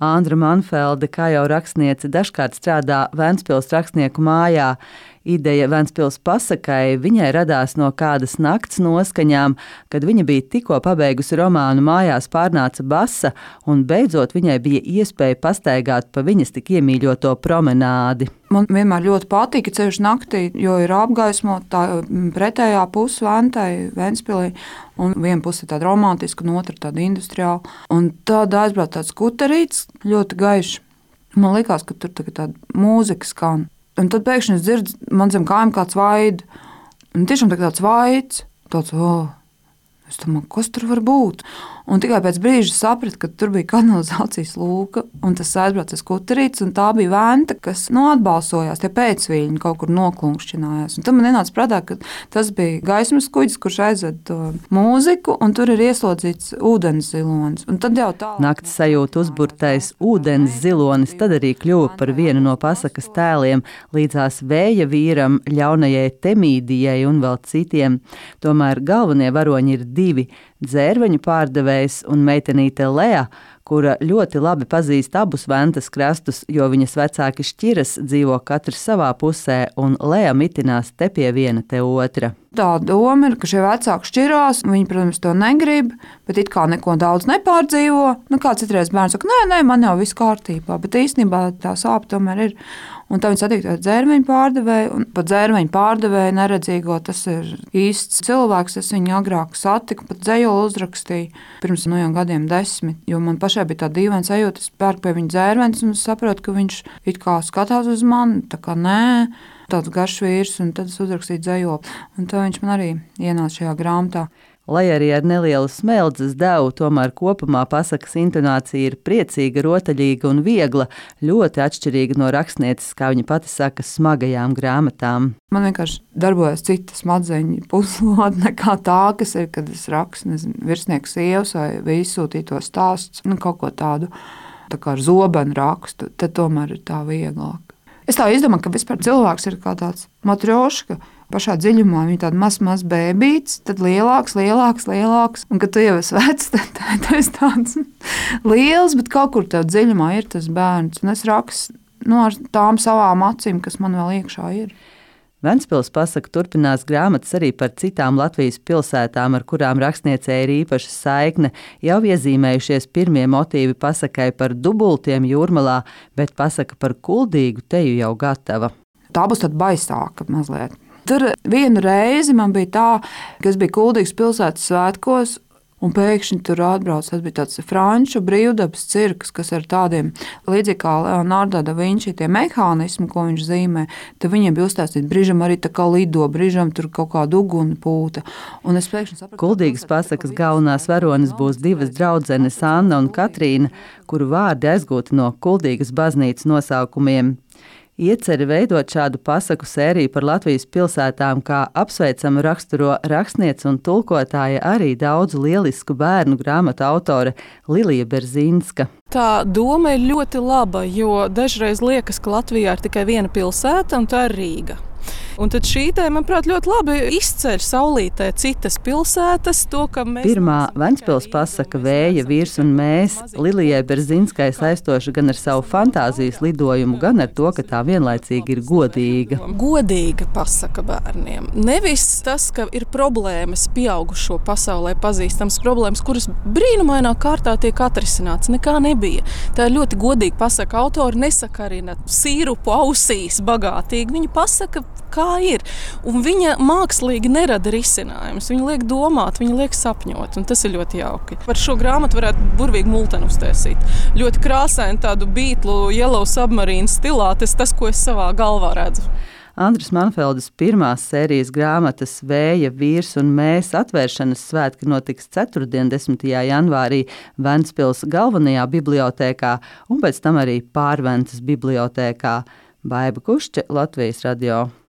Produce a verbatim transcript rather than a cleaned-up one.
Andra Manfelde, kā jau rakstniece, dažkārt strādā Ventspils rakstnieku mājā. Ideja Ventspils pasakai viņai radās no kādas nakts noskaņām, kad viņa bija tikko pabeigusi romānu Mājās pārnāca basa, un beidzot viņai bija iespēja pastaigāt pa viņas tik iemīļoto promenādi. Man vienmēr ļoti patika ceļš naktī, jo ir apgaismota tā pretējā puse Ventai, Ventspilī, un viena puse ir tāda romantiska, un otra tāda industriāla. Un tad aizbrauc tāds skuterīts, ļoti gaišs. Man likās, ka tur tāda mūzika skan. Un tad pēkšņi es dzirdu, man zem kājām kāds vaid. Un tiešām tāds vaids, tāds, oh, es domāju, kas tur var būt? Un tikai pēc brīža sapratu, ka tur bija kanalizācijas lūka, un tas aizbrauca skuterīts, un tā bija Venta, kas nu, atbalsojās, tie pēcviļņi kaut kur noklunkšķinājās. Un tad man ienāca prātā, ka tas bija gaismas kuģis, kurš aizved to mūziku, un tur ir ieslodzīts ūdens zilonis. Un tad jau tā... Nakts sajūta uzburtais ūdens zilonis tad arī kļuva par vienu no pasakas tēliem, līdzās vēja vīram, ļaunajai Temīdijai un vēl citiem. Tomēr galvenie varoņi ir divi – dzērveņu pārdevējs un meitenīte Lea, kura ļoti labi pazīst abus Ventas krastus, jo viņas vecāki šķiras, dzīvo katrs savā pusē, un Lea mitinās te pie viena, te otra. Tā doma ir, ka šie vecāki šķirās, viņi, protams, to negrib, bet it kā neko daudz nepārdzīvo. Nu, kā citreiz bērns saka, nē, nē, man jau viss kārtībā, bet īstenībā tā sāpe tomēr ir. Un tā viņi satiek tādu dzērveņu pārdevēju, un pat dzērveņu pārdevēju neredzīgo, tas ir īsts cilvēks, es viņu agrāk satiku, pat dzejoli uzrakstīju, pirms no jau gadiem desmit, jo man pašai bija tā dīvaina sajūta, es pērku pie viņa dzērveņus, un es saprotu, ka viņš it kā skatās uz mani, tā kā nē, tāds garš vīrs, un tad es uzrakstīju dzejoli, un tā viņš man arī ienāca šajā grāmatā. Lai arī ar nelielu smeldzes devu, tomēr kopumā pasakas intonācija ir priecīga, rotaļīga un viegla, ļoti atšķirīga no rakstnieces, kā viņa pati saka, smagajām grāmatām. Man vienkārši darbojas cita smadzeņu puslode nekā tā, kas ir, kad es rakstu, nezinu, virsnieku sievas vai izsūtīto stāsts, nu kaut ko tādu, tā kā ar zobenu rakstu, tad tomēr ir tā vieglāk. Es tā izdomāju, ka vispār cilvēks ir kā tāds matrioška, pašā dziļumā viņa tāda maz, maz bēbīts, tad lielāks, lielāks, lielāks, un kad tu jau esi vecs, tad tu esi tāds liels, bet kaut kur tev dziļumā ir tas bērns, un es rakstu nu, ar tām savām acīm, kas man vēl iekšā ir. Ventspils pasaka turpinās grāmatas arī par citām Latvijas pilsētām, ar kurām rakstniecei ir īpaša saikne. Jau iezīmējušies pirmie motīvi pasakai par dubultiem Jūrmalā, bet pasaka par Kuldīgu teju jau gatava. Tā būs tāda baisāka mazliet. Tur vienu reizi man bija tā, ka es biju Kuldīgas pilsētas svētkos, un pēkšņi tur atbrauc, tas bija tāds franču brīvdabas cirks, kas ar tādiem, līdzīgi kā Leonardo da Vinci, tie mehānismi, ko viņš zīmē, tad viņiem bija uzstāstīt, brīžam arī tā kā lido, brīžam tur kaut kāda uguni pūta. Un es pēkšņi sapratu, Kuldīgas pasakas galvenās varones būs divas draudzenes Anna un Katrīna, kuru vārdi aizgūti no Kuldīgas baznīcas nosaukumiem. Ieceri veidot šādu pasaku sēriju par Latvijas pilsētām, kā apsveicamu raksturo rakstniece un tulkotāja arī daudzu lielisku bērnu grāmatu autore Lilija Berzīnska. Tā doma ir ļoti laba, jo dažreiz liekas, ka Latvijā ir tikai viena pilsēta, un tā ir Rīga. Un tad šī te, manuprāt, ļoti labi izceļ saulītē citas pilsētas. To, ka mēs Pirmā Ventspils pasaka Vēja vīrs un mēs Lilijai Berzīnskai saistoša gan ar savu fantāzijas lidojumu, gan ar to, ka tā vienlaicīgi ir godīga. Godīga pasaka bērniem. Nevis tas, ka ir problēmas pieaugušo pasaulē pazīstams problēmas, kuras brīnumainā kārtā tiek atrisināts. Nekā nebija. Tā ir ļoti godīga pasaka. Autori nesakarina sīrupu ausīs bagātīgi. Viņa pasaka, kā ir. Un viņa mākslīgi nerada risinājumus. Viņa liek domāt, viņa liek sapņot, un tas ir ļoti jauki. Par šo grāmatu varētu burvīgi multeni uztaisīt. Ļoti krāsaini tādu Beatlu Yellow Submarine stilā, tas tas, ko es savā galvā redzu. Andras Manfeldes pirmās sērijas grāmatas Vēja vīrs un mēs atvēršanas svētki notiks ceturtdien, desmitajā janvārī Ventspils galvenajā bibliotēkā un pēc tam arī Pārventas bibliotēkā. Baiba Kušķe, Latvijas radio.